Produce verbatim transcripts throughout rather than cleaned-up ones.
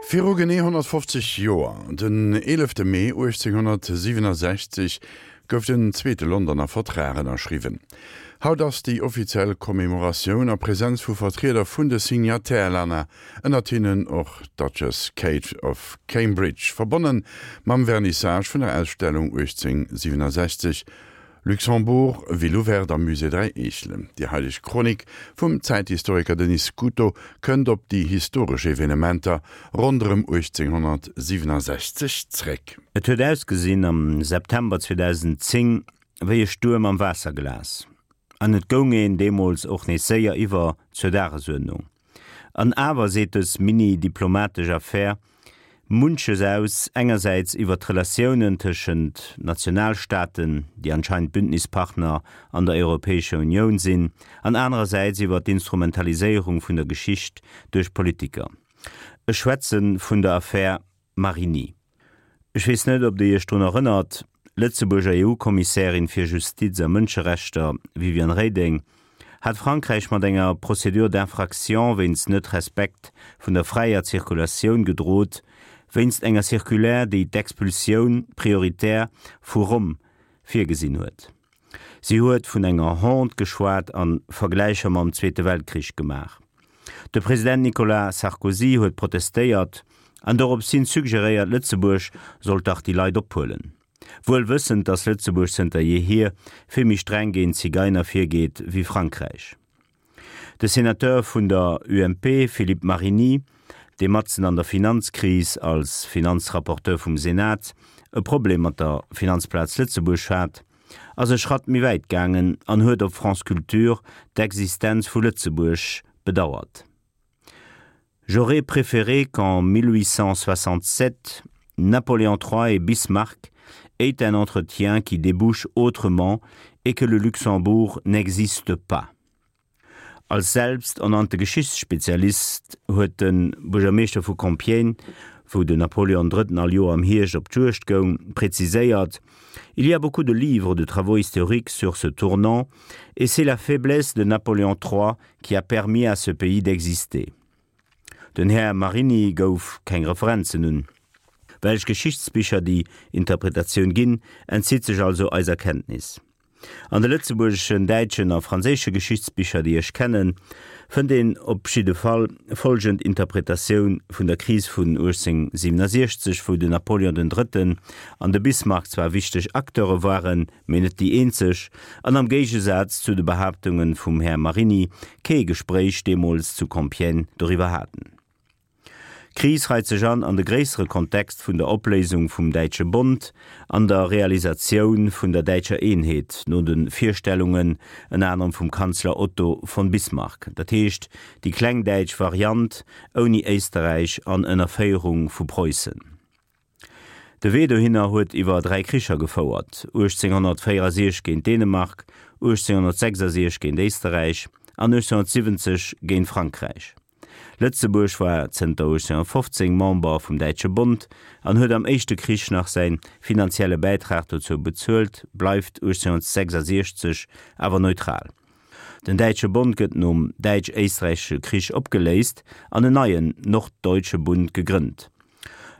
Viru genee honnertfofzeg Joer, den eelefte Mee uechtzénghonnertsiwwenasechzeg, gouf den zweete Londoner Vertrag ënnerschriwwen. Haut ass déi offiziell Commemoratioun a Presenz vu Vertrieder vun de Signataire-Länner, ënnert hinnen och d'Duchess Kate of Cambridge, verbonne mam Vernissage vun der Ausstellung uechtzéngsiwwenasechzeg, Luxembourg, Ville ouverte am Musée Dräi Eechelen. Déi haiteg Chronik vum Zäithistoriker Denis Scuto kënnt op déi historesch Evenementer ronderëm uechtzénghonnertsiwwenasechzeg zréck. Et huet ausgesinn am September zweedausendzéng wéi e Stuerm am Waasserglas. An et goung een deemools och nees séier iwwer zur Dagesuerdnung. An awer seet dës mini-diplomatesch Affär munches aus, engersäits iwwer d'Relatiounen tëschent Nationalstaaten, déi anscheinend Bündnispartner an der Europäescher Unioun sinn, an anerersäits iwwer d'Instrumentaliséierung vun der Geschicht duerch Politiker. Ech schwätze vun der Affär Marigny. Ech weess net, ob Dir Iech drun erënnert, D'Lëtzebuerger E U-Kommissärin fir Justiz a Mënscherechter Viviane Reding hat Frankräich mat enger Procédure d'infraction wéinst Net-Respekt vun der fräier Zirkulatioun gedrot, wéinst enger Circulaire, déi d'Expulsioun prioritaire vu Rom virgesinn huet. Si huet vun enger Honte geschwat a Vergläicher mam Zweete Weltkrich gemaach. De President Nicolas Sarkozy huet protestéiert an dorops hin suggeréiert, Lëtzebuerg sollt dach déi Leit ophuelen. Wuel wëssend, datt Lëtzebuerg zënter jeehier vill méi streng géint Zigeiner virgeet wéi Frankräich. De Senateur vun der U M P Philippe Marigny, dee matzen an der Finanzkris als Finanzrapporteur vum Senat e Problem mat der Finanzplaz Lëtzebuerg hat, ass e Schratt méi wäit gaangen an huet op France Culture d'Existenz vu Lëtzebuerg bedauert. J'aurais préféré qu'en mille huit cent soixante-sept Napoléon trois et Bismarck aient un entretien qui débouche autrement et que le Luxembourg n'existe pas. Als selbsternannte Geschichtsspezialist huet de Buergermeeschter vu Compiègne, wou den Napoléon Drëtten all Joer am Hierscht op d'Juegd goung, präziséiert: Il y a beaucoup de livres de travaux historiques sur ce tournant et c'est la faiblesse de Napoléon trois qui a permis à ce pays d'exister. Den Här Marigny gouf keng Referenzen un. Welch Geschichtsbicher déi Interpretatioun ginn, entzitt sech also eiser Kenntnis. An de lëtzebuergeschen, däitschen a franséische Geschichtsbicher, déi ech kennen, fënnt een op jidde Fall folgend Interpretatioun vun der Kris vun uechtzénghonnertsiwwenasechzeg, wou den Napoleon den Drëtten an de Bismarck zwar wichteg Acteure waren, mee net déi eenzeg, an am Géigesaz zu de Behaaptunge vum Här Marigny kee Gespréich deemools zu Compiègne doriwwer haten. D'Kris reit sech an an de gréissere Kontext vun der Opléisung vum Däitsche Bond an der Realisatioun vun der däitscher Eenheet no de Virstellungen ënner anerem vum Kanzler Otto von Bismarck, dat heescht déi kleng däitsch Variant ouni Éisterräich an ënner Féierung vu Preussen. De Wee dohinner huet iwwer dräi Kricher gefouert, uechtzénghonnertvéierasiechzeg géint Dänemark, uechtzénghonnertsechsasiechzeg géint Éisterräich an uechtzénghonnertsiwwenzeg géint Frankräich. Lëtzebuerg war zënter uechtzénghonnertfofzéng Member vum Däitsche Bond an huet am éischte Krich nach säi finanzielle Bäitrag dozou bezuelt, bleift uechtzénghonnertsechsasiechzeg awer neutral. Den Däitsche Bond gëtt nom Däitsch-Éisträichesche Krich opgeléist an en neien Norddeutsche Bund gegrënnt.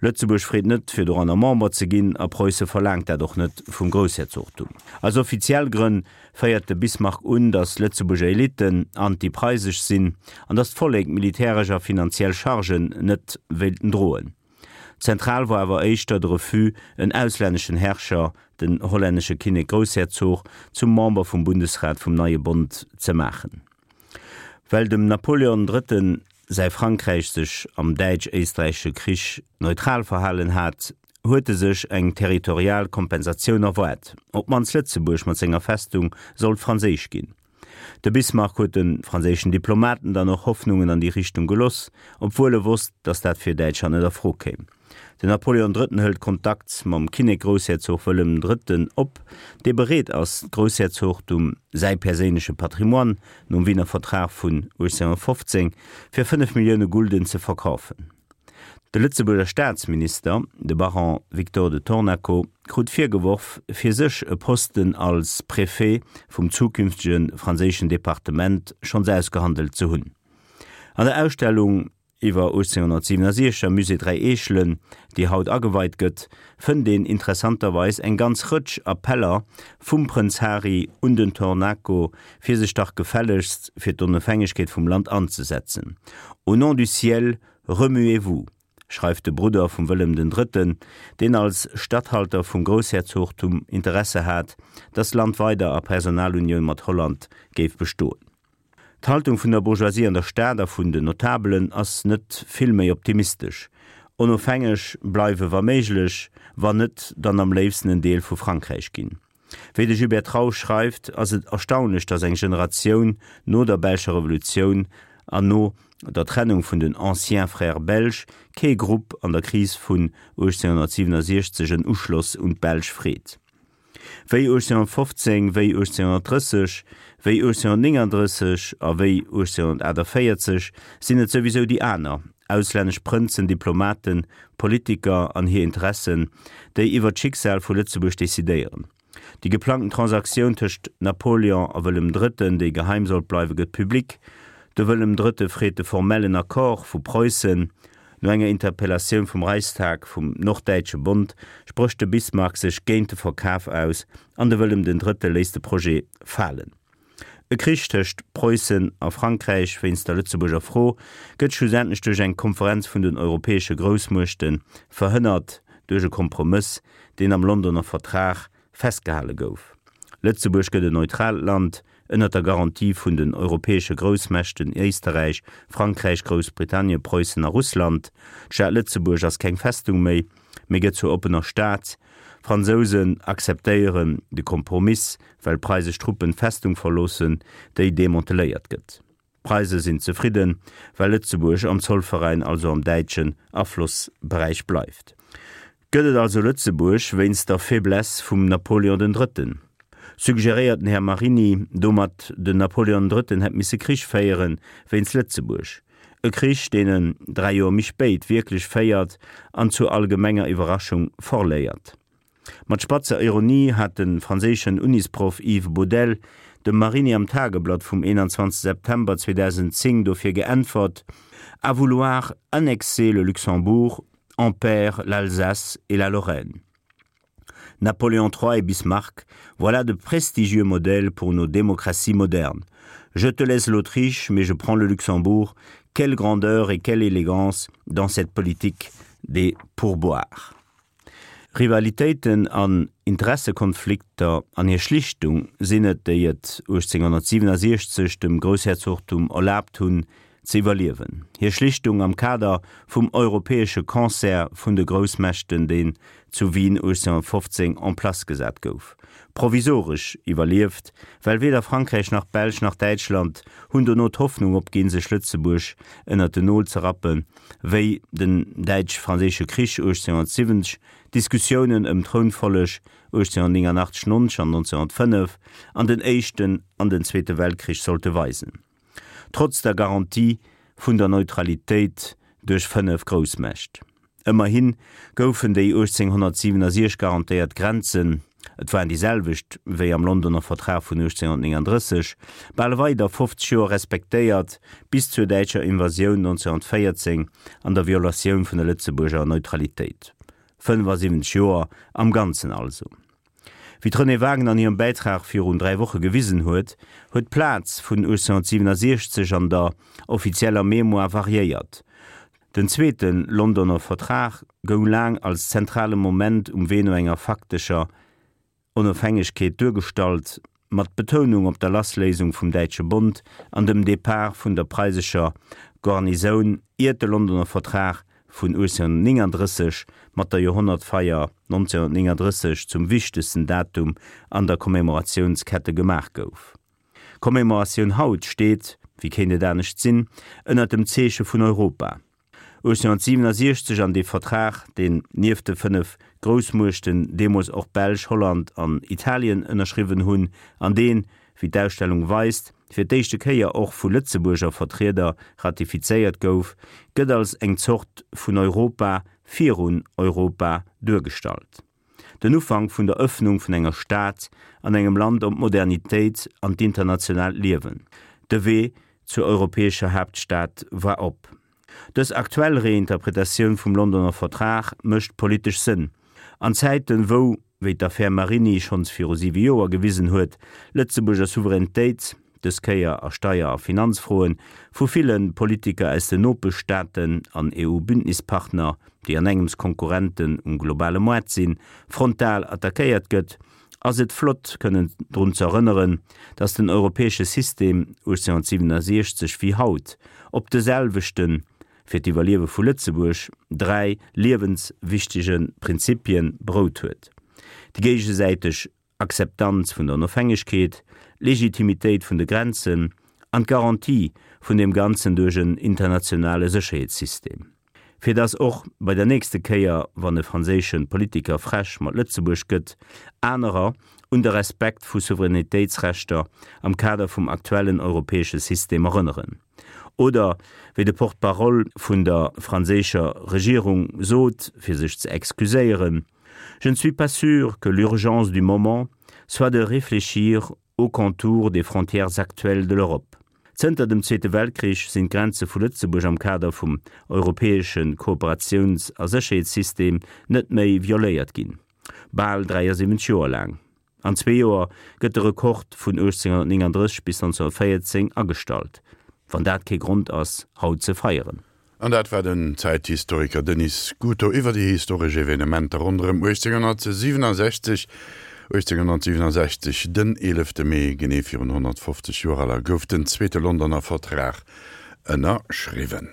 Lëtzebuerg freet net, fir doranner Member ze ginn, a Preusse verlaangt dat och net vum Groussherzogtum. Als offiziell Grënn féiert de Bismarck un, datt Lëtzebuerger Elitten antipreisesch sinn an datt d'Vollek militäresch a finanziell Chargen net wéilten droen. Zentral war awer éischter de Refus, en auslänneschen Herrscher, den hollännesche Kinnek-Groussherzog, zum Member vum Bundesrat vum neie Bond ze maachen. Well dem Napoleon Drëtten säi Frankräich sech am Däitsch-Éisträichesche Krich neutral verhalen hat, huet e sech eng territorial Kompensatioun erwaart, op d'mannst Lëtzebuerg mat senger Festung sollt franséisch ginn. De Bismarck huet de franséischen Diplomaten dann och Hoffnungen an déi Richtung geloss, obwuel e wosst, datt dat fir Däitschland net a Fro kéim. Den Napoleon Drëtten hëlt Kontakt mam Kinnek-Groussherzog Wëllem Drëtten op, dee bereet ass, d'Groussherzogtum, säi perséinleche Patrimoine, nom Wiener Vertrag vun uechtzénghonnertfofzéng, fir fënnef Millioune Gulden ze verkafen. De Lëtzebuerger Staatsminister, de Baron Victor de Tornaco, krut virgeworf, fir sech e Posten als Préfet vum zukünftege franséischen Departement schonns ausgehandelt ze hunn. An der Ausstellung iwwer achtzénghonnertsiwwenasiechzeg am Musée Dräi Eechelen, déi haut ageweit gëtt, fënnt een interessanterweis eng ganz Rëtsch Appeller vum Prënz Hari un den Tornaco, fir sech dach gefällegst fir d'Onofhängegkeet vum Land anzesetzen. Au nom du ciel, remuez-vous! schreift de Brudder vum Wëllem den Drëtten, deen als Statthalter vum Groussherzogtum Interesse hat, dass d'Land weider a Personalunioun mat Holland géif bestoen. D'Haltung vun der Bourgeoisie an der Stad a vun den Notabelen ass net vill méi optimistesch. Onofhängeg bleiwe wa méiglech, wann net, dann am léifsten en Deel vu Frankräich ginn. Wéi de Gilbert Trausch schreift, ass et erstaunlech, datt eng Generatioun no der belscher Revolutioun an no der Trennung vun den anciens frères belges kee Grupp an der Kris vun achtzénghonnertsiwwenasiechzeg en Uschloss un d'Belsch freet. Wéi achtzénghonnertfofzéng, wéi achtzénghonnertdrësseg, wéi achtzénghonnertnénganddrësseg a wéi achtzénghonnertaachtavéierzeg sinn et souwisou déi aner, auslännesch Prënzen, Diplomaten, Politiker an hir Interessen, déi iwwer d'Schicksal vu Lëtzebuerg decidéieren. Déi geplangten Transaktioun tëscht Napoleon a Wëllem Drëtten, déi geheim sollt bleiwen, gëtt public. De Wëllem Drëtte freet de formellen Accord vu Preussen. No enger Interpellatioun vum Reichstag vum Norddäitsche Bond sprécht de Bismarck sech géint de Verkaf aus an de Wëllem den Drëtte léisst de Projet falen. E Krich tëscht Preussen a Frankräich wéinst der Lëtzebuerger Fro gëtt schlussendlech duerch eng Konferenz vun den europäesche Groussmuechte verhënnert, duerch e Kompromëss, deen am Londoner Vertrag festgehale gouf. Lëtzebuerg gëtt en neutraalt Land, ënnert der Garantie vun den europäesche Groussmächten Éisterräich, Frankräich, Groussbritannien, Preussen a Russland. D'Stad Lëtzebuerg ass keng Festung méi, mee gëtt zur oppener Stad. D'Fransousen akzeptéieren de Kompromiss, well preisesch Truppen d'Festung verloossen, déi demanteléiert gëtt. D'Preise sinn zefridden, well Lëtzebuerg am Zollveräin, also am däitschen Aflossberäich bleift. Gëtt et also Lëtzebuerg wéinst der Faiblesse vum Napoleon den Drëtten? Suggeréiert den Här Marini domat, den Napoleon den Drëtten hätt misse Krich féiere wéinst Lëtzebuerg? E Krich, deen en dräi Joer méi spéit wierklech féiert an zur allgemenger Iwwerraschung verléiert. Mat spatzer Ironie hat de franséischen Unisproff Yves Boudel dem Marini am Tageblatt vum einundzwanzeg September zweedausendzéng dofir geäntwert, À vouloir annexer le Luxembourg, on perd l'Alsace et la Lorraine. Napoléon trois et Bismarck, voilà de prestigieux modèles pour nos démocraties modernes. Je te laisse l'Autriche, mais je prends le Luxembourg. Quelle grandeur et quelle élégance dans cette politique des pourboires. Rivalitéiten an Interessekonflikter an hir Schlichtung sinn et, déi et achtzénghonnertsiwwenasiechzeg dem Groussherzogtum erlaabt hunn, ze iwwerliewen. Hir Schlichtung am Kader vum europäesche Concert vun de Groussmächten, deen zu Wien achtzénghonnertfofzéng en place gesat gouf. Provisoresch iwwerlieft, well weder Frankräich nach d'Belsch nach Däitschland hunn dono d'Hoffnung opginn, sech Lëtzebuerg ënnert den Nol ze rappen, wéi den Däitsch-Franséische Krich achtzénghonnertsiwwenzeg, d'Diskussiounen ëm d'Trounfolleg achtzénghonnertnénganachteg, nonzeg an nonzénhonnertfënnef an den Éischten an den Zweete Weltkrich sollte weisen. Trotz der Garantie vun der Neutralitéit duerch fënnef Groussmächt. Ëmmerhi goufen déi achtzénghonnertsiwwenasiechzeg garantéiert Grenzen, et waren déi selwecht wéi am Londoner Vertrag vun achtzénghonnertnénganddrësseg, bal weider fofzeg Joer respektéiert, bis zur däitscher Invasioun nonzénhonnertvéierzéng an der Violatioun vun der Lëtzebuerger Neutralitéit. Fënnefasiwwenzeg Joer am Ganzen also. Wéi d'Renée Wagener an hirem Bäitrag virun dräi Woche gewisen huet, huet d'Plaz vun achtzénghonnertsiwwenasiechzeg an der offizieller Mémoire variéiert. Den zweete Londoner Vertrag goung laang als zentrale Moment um Wee no enger faktescher Onofhängegkeet duergestallt, mat Betounung op der Lassléisung vum Däitsche Bond an dem Depart vun der preisescher Garnisoun, iert de Londoner Vertrag vun achtzénghonnertnénganddrësseg mat der Joerhonnertfeier nonzénhonnertnénganddrësseg zum wichtegsten Datum an der Commémoratiounskette gemaach gouf. D'Commémoratioun haut steet, wéi kéint et anescht sinn, ënnert dem Zeeche vun Europa. achtzénhonnertsiwwenasiechzeg an dee Vertrag, deen nieft de fënnef Groussmuechten deemools och d'Belsch, Holland an Italien ënnerschriwwen hunn, an deen, wéi d'Ausstellung weist, fir d'éischte Kéier och vu Lëtzebuerger Vertrieder ratifizéiert gouf, gëtt als eng Zort vun Europa virun Europa duergestallt. Den Ufank vun der Ëffnung vun enger Stad an engem Land op d'Modernitéit an d'internationaalt Liewen. De Wee zur europäescher Haaptstad war op. Dës aktuell Reinterpretatioun vum Londoner Vertrag mécht politesch Sënn. An Zäiten, wou, wéi d'Affär Marini schonns viru siwe Joer gewisen huet, Lëtzebuerger Souveränitéit, dës Kéier a Steier a Finanzfroen, vu ville Politiker aus den Nopeschstaaten an EU-Bündnispartner, déi an engems Konkurrenten um globale Moart sinn, frontal attackéiert gëtt, ass et flott kënnen drun ze erënneren, datt den europäesche System achtzénghonnertsiewenundsechzeg wéi haut op de selwechten, fir d'Iwwerliewe vu Lëtzebuerg, dräi liewenswichtege Prinzipie berout huet, déi géigesäiteg Akzeptanz vun der Onofhängegkeet, d'Legitimitéit vun de Grenzen an d'Garantie vun deem Ganzen duerch en internationale Sécherheetssystem. Fir datt och bei der nächste Kéier, wann e franséische Politiker frech mat Lëtzebuerg gëtt, anerer un de Respekt vu Souveränitéitsrechter am Kader vum aktuellen europäesche System erënneren. Oder, wéi de Porte-parole vun der franséischer Regierung sot, fir sech ze excuséieren, Je ne suis pas sûr que l'urgence du moment soit de réfléchir aux contours des frontières actuelles de l'Europe. Zënter dem Zweete Weltkrich sinn d'Grenze vu Lëtzebuerg am Kader vum europäesche Kooperatiouns a Sécherheetssystem net méi violéiert ginn. Bal dräiasiwwenzeg Joer laang. An zwee Joer gëtt de Rekord vun achtzénghonnertnénganddrësseg bis nonzénhonnertvéierzéng agestallt. Wann dat kee Grond ass, haut ze feieren. An dat war den Zäithistoriker Denis Scuto iwwer déi historesch Evenementer ronderëm achtzénghonnertsiewenundsechzeg. achtzénghonnertsiewenundsechzeg, den eelefte Mee, genee virun honnertfofzeg Joer, gouf den zweete Londoner Vertrag ënnerschriwwen.